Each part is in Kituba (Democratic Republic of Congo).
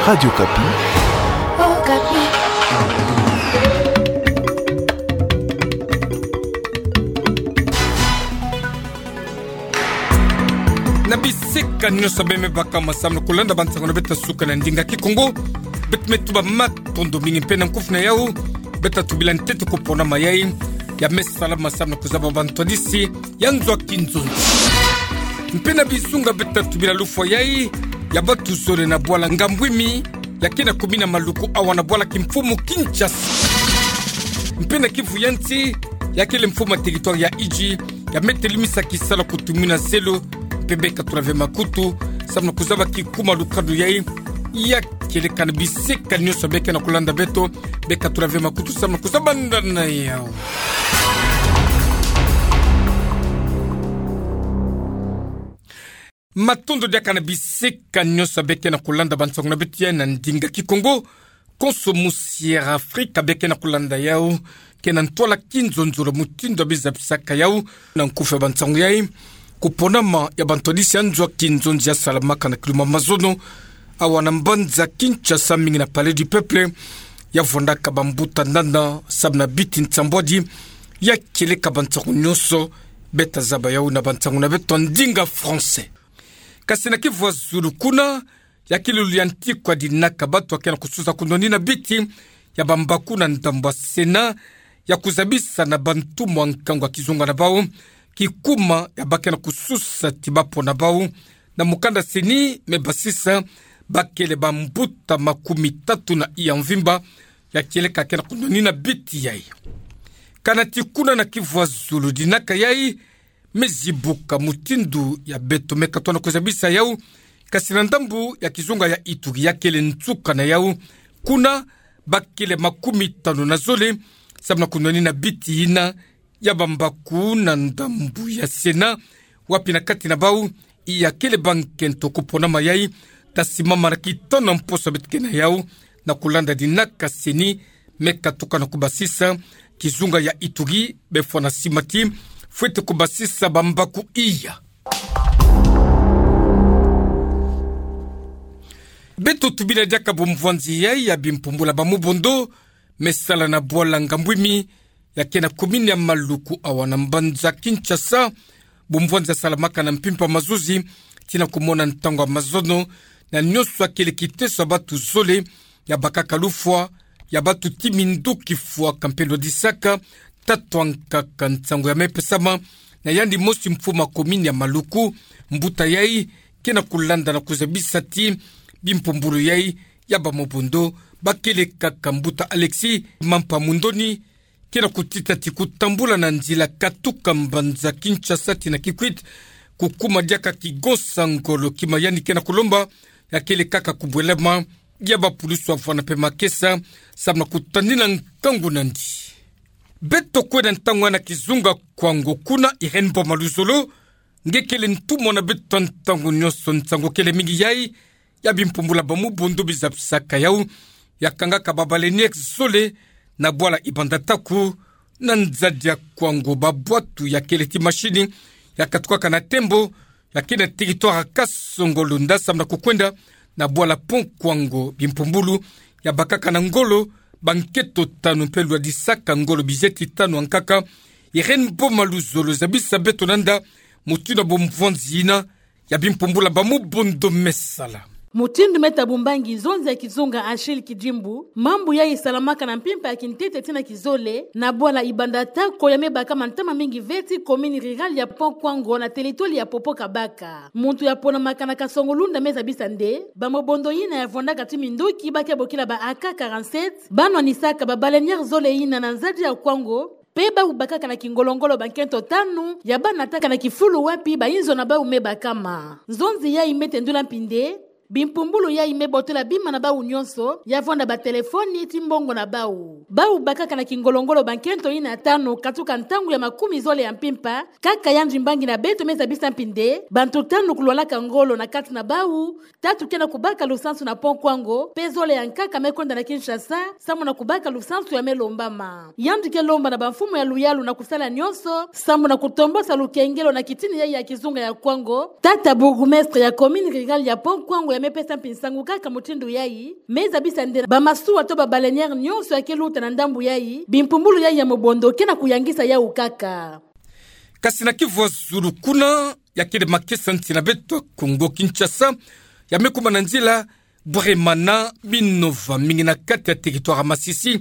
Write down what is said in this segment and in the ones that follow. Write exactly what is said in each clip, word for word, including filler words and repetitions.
Radio Okapi. Okapi. Na bisika nyonso bê me baka masamna kulanda bansango na beto ya suka na ndinga Kikongo. Beto me tuba matondo mingi mpe na nkufi na yau. Beto tubila ntete kupona mayai ya me sala masamna kuzaba bantu hadisi ya nzo a kinzonzi. Mpe na bizunga beto tubila lufwa yai ya batu zole na bwala Ngambwimi, ya ke na commune ya Maluku awa na bwala kimfumu Kinshasa. Mpe na Kivu ya nsi, ya kele mfumu a territoire ya Idjwi, ya me telimisa kisalu kutumwina zelo, mpe bê katula ve makutu, samu na kuzaba kikuma lukanu yai, ya kieleka na bisika nyonso bê ke na kulanda beto, bê katula ve makutu samu na kuzaba ndana yau. Matondo diaka na bisika nyonso bê ke na kulanda bansango na beto yai na ndinga Kikongo. Konso musi ya Afrika bê ke na kulanda yau, ke na ntwala kinzonzolo mutindu ya biza bisaka yau. Na nkufi ya bansango yai, kuponama ya bantu hadisi ya nzo a kinzonzi ya salamaka na kiluma mazono awa na mbanza Kinshasa, mingi na Palais du Peuple, ya vwandaka bambuta nana samu na biti nsambwadi, ya kieleka bansango nyonso bê tazaba yau na bansango na beto ya ndinga français. Kasi na Kivu ya zulu kuna, ya kilulu ya ntikwa dinaka batu ya ke na kususa kunwanina biti ya bambaku na ndambu ya Sénat, ya kuzabisa na bantu mwa nkangu ya kizunga na bau kikuma ya ba ke na kususa ti bapona bau. Na mukanda CENI me basisa, ba kele bambuta makumi tatu na iya mvimba, ya kieleka ke na kunwanina biti yai. Kana ti kuna na Kivu ya zulu dinaka yai, me zibuka mutindu ya beto me katwa na kuzabisa yau, kasi na ndambu ya kizunga ya Ituri ya kele nsuka na yau. Kuna ba kele makumi tanu na zole, samu na kunwanina biti yina ya bambaku na ndambu ya Sénat, wapi na kati na bau iya kele bankento kuponama yai, tasi mama na kitano mposo beto ke na yau, na kulanda dinaka CENI me katuka na kubasisa, kizunga ya Ituri bê fwana sima ti fwete kubasisa bambaku iya. Beto tubila diaka bumvwanzi yai ya bimpumbula ba mubondo me sala na bwala Ngambwimi, ya ke na commune ya Maluku awa na mbanza Kinshasa. Bumvwanzi ya salamaka na mpimpa mazuzi tii na kumona ntangu ya mazono, na nyonso ya kele kiteso ya batu zole, ya bakaka lufwa ya batu ti minduki fwaka mpe lwadisaka tatu ya nkaka. Nsangu ya me pesama na yandi mosi mfumu a commune ya Maluku. Mbuta yai ke na kulanda na kuzabisa ti bimpumbulu yai ya ba mubondo ba kele kaka. Mbuta Alexis Mampa Mundoni ke na kutita ti kutambula na nzila katuka mbanza Kinshasa tii na Kikwit, kukuma diaka kigonsa ngolo. Kima yandi ke na kulomba, ya kele kaka kubwelama ya bapulusu ya vwanda mpe makesa, samu na kutanina nkangu nandi. Beto kwenda ntangu na kizunga Kwango. Kuna Irène Boma Luzolo nge kele ntumwa na beto ntangu nyonso. Nsangu kele mingi yai ya bimpumbula ba mubondo biza bisaka yau, ya kangaka ba baleinière zole na bwala Ibanda Taku, na nzadi ya Kwango. Babwatu ya kele ti machine ya katukaka na tembo, ya ke na territoire ya Kasongo-Lunda, samu na kukwenda na bwala Pont Kwango. Bimpumbulu ya bakaka na ngolo bankento tanu mpe lwadisaka ngolo bizeti tanu ya nkaka. Irène Boma Luzolo zabisa beto nanda mutindu bumvwanzi yina ya bimpumbula ba mubondo me sala. Mutindu me tabumbangi nzonzi ya kizunga Achille Kidimbu, mambu yai salamaka na mpimpa ya kintete tii na kizole na bwala Ibanda Taku ya me bakama ntama mingi ve tii commune rurale ya Pont Kwango na territoire ya Popo Kabaka. Muntu ya ponamaka na Kasongo-Lunda me zabisa nde ba mubondo yina ya vwandaka ti minduki ba ke bokila ba A K quarante-sept ba nwanisaka ba baleinière zole yina na nzadi ya Kwango, mpe bau bakaka na kingolo-ngolo bankento tanu ya ba nataka na kifulu wapi bayinzo na bau me bakama. Nzonzi yai me tendula mpi nde bimpumbulu yai me botola bima na bau nyonso, ya vwanda batelefoni tii mbongo na bau. Bau bakaka na kingolo-ngolo bankento yina tanu katuka ntangu ya makumi zole ya mpimpa, kaka yandi mbangi na beto me zabisa mpi nde bantu tanu kulwalaka ngolo na kati na bau, tatu ke na kubaka lusansu na Pont Kwango, mpe zole ya nkaka me kwenda na Kinshasa samu na kubaka lusansu ya me lombama. Yandi ke lomba na bamfumu ya luyalu na kusala nyonso samu na kutombosa lukengelo na kitini yai ya kizunga ya Kwango. Tata bourgmestre ya commune rurale ya Pont Kwango ya Me pesa mpi nsangu kaka mutindu yayi, me zabisa nde bamasuwa to ba baleinière nyonso ya ke luta na ndambu yayi, bimpumbulu yayi ya mobondo ke na kuyangisa yawu kaka. Kasi na kivu ya zulu kuna, ya kele makesa nsi na beto Kongo Kinshasa, ya me kuma na nzila Bweremana, Minova, mingi na kati ya territoire ya Masisi,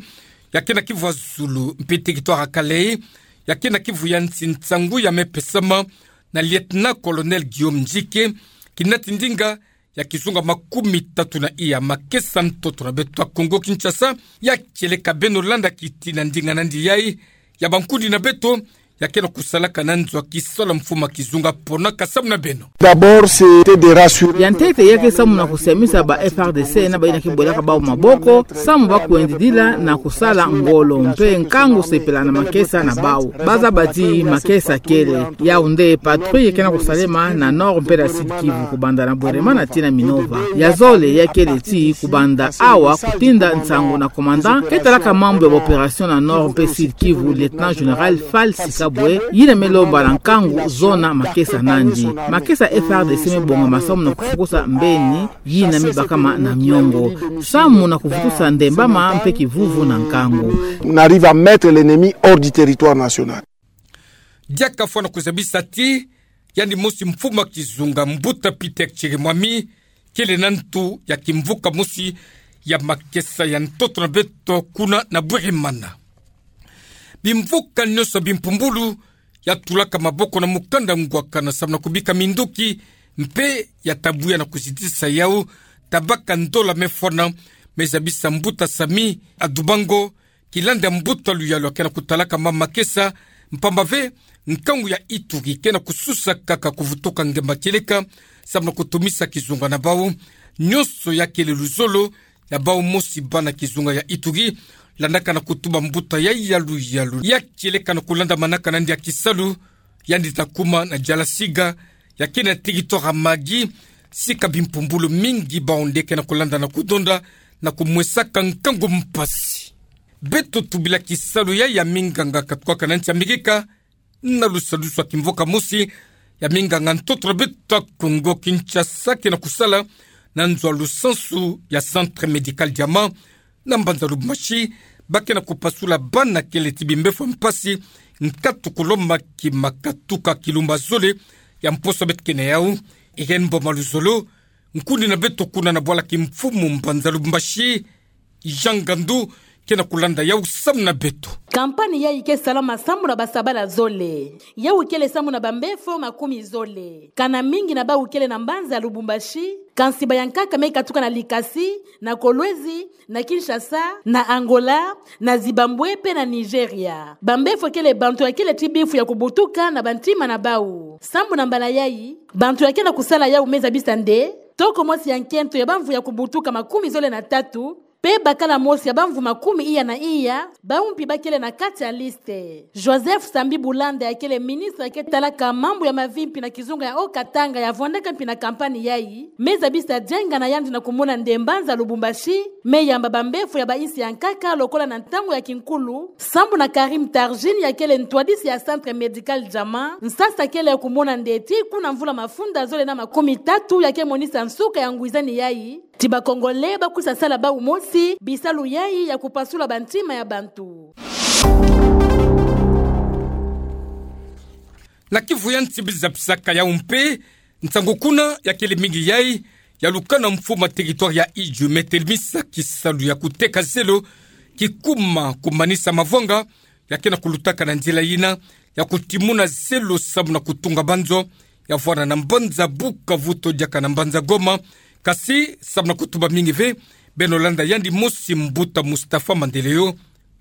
ya ke na kivu ya zulu, mpe territoire ya Kalehe, ya ke na kivu ya nsi. Nsangu ya me pesama na lieutenant-colonel Guillaume Nzike, kinati ndinga ya kizunga makumi tatu na iya. Makesa ntoto na beto ya Kongo Kinshasa, ya kieleka beno landa kitina ndinga nandi yayi, ya bankundi na beto ya ke na kusalaka na nzo ya kisalu ya mfumu ya kizunga. Pona kasamu na beno. D'abord, c'était de rassurer. Ya ntete ya ke samu na kusiamisa ba F A R D C na bayina ke bwelaka bawu maboko, samu ba kwendidila na kusala ngolo mpe nkangu sepela na makesa na bawu. Ba zaba ti makesa kele. Yawu nde patrouille ke na kusalema na Nord mpe na Sud-Kivu, kubanda na Bweremana tii na Minova. Ya zole ya kele ti kubanda awa kutinda nsangu na commandant ke talaka mambu ya ba opération na Nord mpe Sud-Kivu, lieutenant-général Falsi Kabwe, yina me lomba na nkangu zona makesa nandi. Makesa F A R D C me bonga masamu na kufukusa mbeni yina me bakama na miongo, samu na kuvutusa ndembama mpe kivuvu na nkangu. On arrive à mettre l'ennemi hors du territoire national. Diaka fwana kuzabisa ti yandi mosi mfumu ya kizunga, Mbuta Peter Chirimwami, kele na ntu ya kimvuka mosi ya makesa ya ntoto na beto kuna na Bweremana. Bimvuka nyonso ya bimpumbulu ya tulaka maboko na mukanda ngwakana samu na kubika minduki, mpe ya ta buya na kuzitisa yawu, tabaka ndola me fwana, me zabisa Mbuta Sami Adubango, kilanda mbuta luyalu ya ke na kutalaka ma makesa, mpamba ve nkangu ya Ituri ke na kususa kaka kuvutuka ngemba kieleka, samu na kutumisa kizunga na bawu. Nyonso ya kele luzolo ya bawu mosi bana kizunga ya Ituri, landaka na kutuba mbuta yayi ya luyalu ya kieleka na kulanda manaka nandi ya kisalu, yandi ta kuma na Jalasiga, ya ke na territoire ya Magi, sika bimpumbulu mingi bawu nde ke na kulanda na kudonda na kumwesaka nkangu mpasi. Beto tubila kisalu ya, ya minganga katukaka na nsi ya Amerika, na lusadusu ya kimvuka mosi ya minganga ntoto na beto ya Kongo Kinshasa ke na kusala na nzo ya lusansu ya Centre Médical Diamant, na mbanza Lubumbashi, ba ke na kupasula bana kele ti bimbefo ya mpasi, nkatu kuloma kima katuka kilumba zole ya mposo beto ke na yawu. Irène Mboma Luzolo, nkundi na beto kuna na bwala kimfumu mbanza Lubumbashi, Jean Ngandu, ke na kulanda yawu samu na beto. Kampani yayi ke salama samu na basabala zole. Yawu kele samu na bambefo makumi zole. Kana mingi na bawu kele na mbanza Lubumbashi, kansi bayankaka me katuka na Likasi, na Kolwezi, na Kinshasa, na Angola, na Zimbabwe mpe na Nigeria. Bambefo kele bantu ya kele ti bifu ya kubutuka na bantima na bawu. Samu na mbala yayi, bantu ya ke na kusala yawu me zabisa nde toko mosi ya nkento ya bamvu ya kubutuka makumi zole na tatu, mpe bakala mosi ya bamvu makumi iya na iya, bawu mpi ba kele na kati ya liste. Joseph Sambi Bulanda ya kele ministre ya ke talaka mambu ya mavimpi na kizunga ya Haut-Katanga ya vwandaka mpi na kampani yayi, me zabisa dienga na yandi na kumona nde mbanza Lubumbashi me yamba bambefo ya bayinsi ya nkaka lokola na ntangu ya kinkulu, samu na Karim Tarjine ya kele ntwadisi ya Centre Médical Diamant, nsasa kele ya kumona nde ti kuna mvula mafunda zole na makumi tatu ya ke monisa nsuka ya ngwizani yayi, ti ba Congolais ba kwisa sala bawu mosi bisalu yayi ya kupasula bantima ya bantu. Na kivu ya nsi biza bisaka yawu mpe, nsangu kuna ya kele mingi yayi, ya lukana mfumu ya territoire ya Idjwi me telemisa kisalu ya kuteka zelo, kikuma kumanisa mavwanga, ya ke na kulutaka na nzila yina ya kutimuna zelo samu na kutunga banzo, ya vwanda na mbanza Bukavu to diaka na mbanza Goma, kasi samu na kutuba mingi ve, beno landa yandi mosi mbuta Mustapha Mandeleo,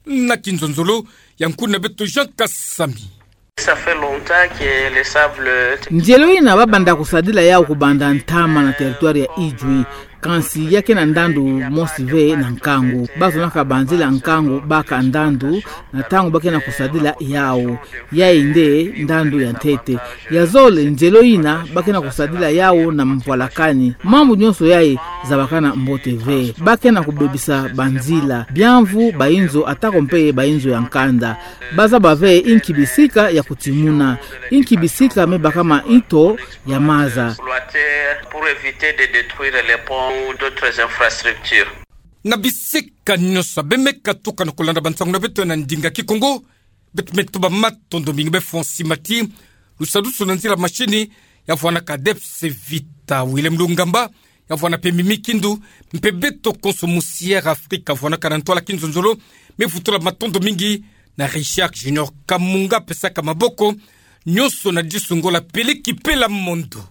na kinzonzolo ya nkundi na beto Jean Kasami. Ça fait longtemps que le sable. Nzelo yina ba banda kusadila yawu kubanda ntama na territoire ya Idjwi. Kansi ya ke na ndandu mosi ve na nkangu. Bazonaka banzila nkangu baka ndandu, na ntangu ba ke na kusadila yau. Yayi nde ndandu ya ntete. Ya zole, nzelo ina ba ke na kusadila yau na mvwalakani. Mambu nyonso yayi zabakana mbote ve. Ba ke na kubebisa banzila, biamvu, bainzo, atako mpe bainzo ya nkanda. Bazaba ve inki bisika ya kutimuna, inki bisika me baka ma ito ya maza. Pour éviter de détruire les ponts ou d'autres infrastructures. Na bisika nyonso, beno me katuka na kulanda bansangu na beto na ndinga Kikongo. Beto me tuba matondo mingi befo nsi mati lusadusu na nzila mashini ya vwanaka Debs Vita, Willem Lungamba ya vwana mpe Mimi Kindu, mpe beto konso mu Sierra Africa vwanaka na ntwala kinzonzolo. Me vutula matondo mingi na Richard Junior Kamunga pesaka maboko nyonso na disu ngolo peleki pela mondo.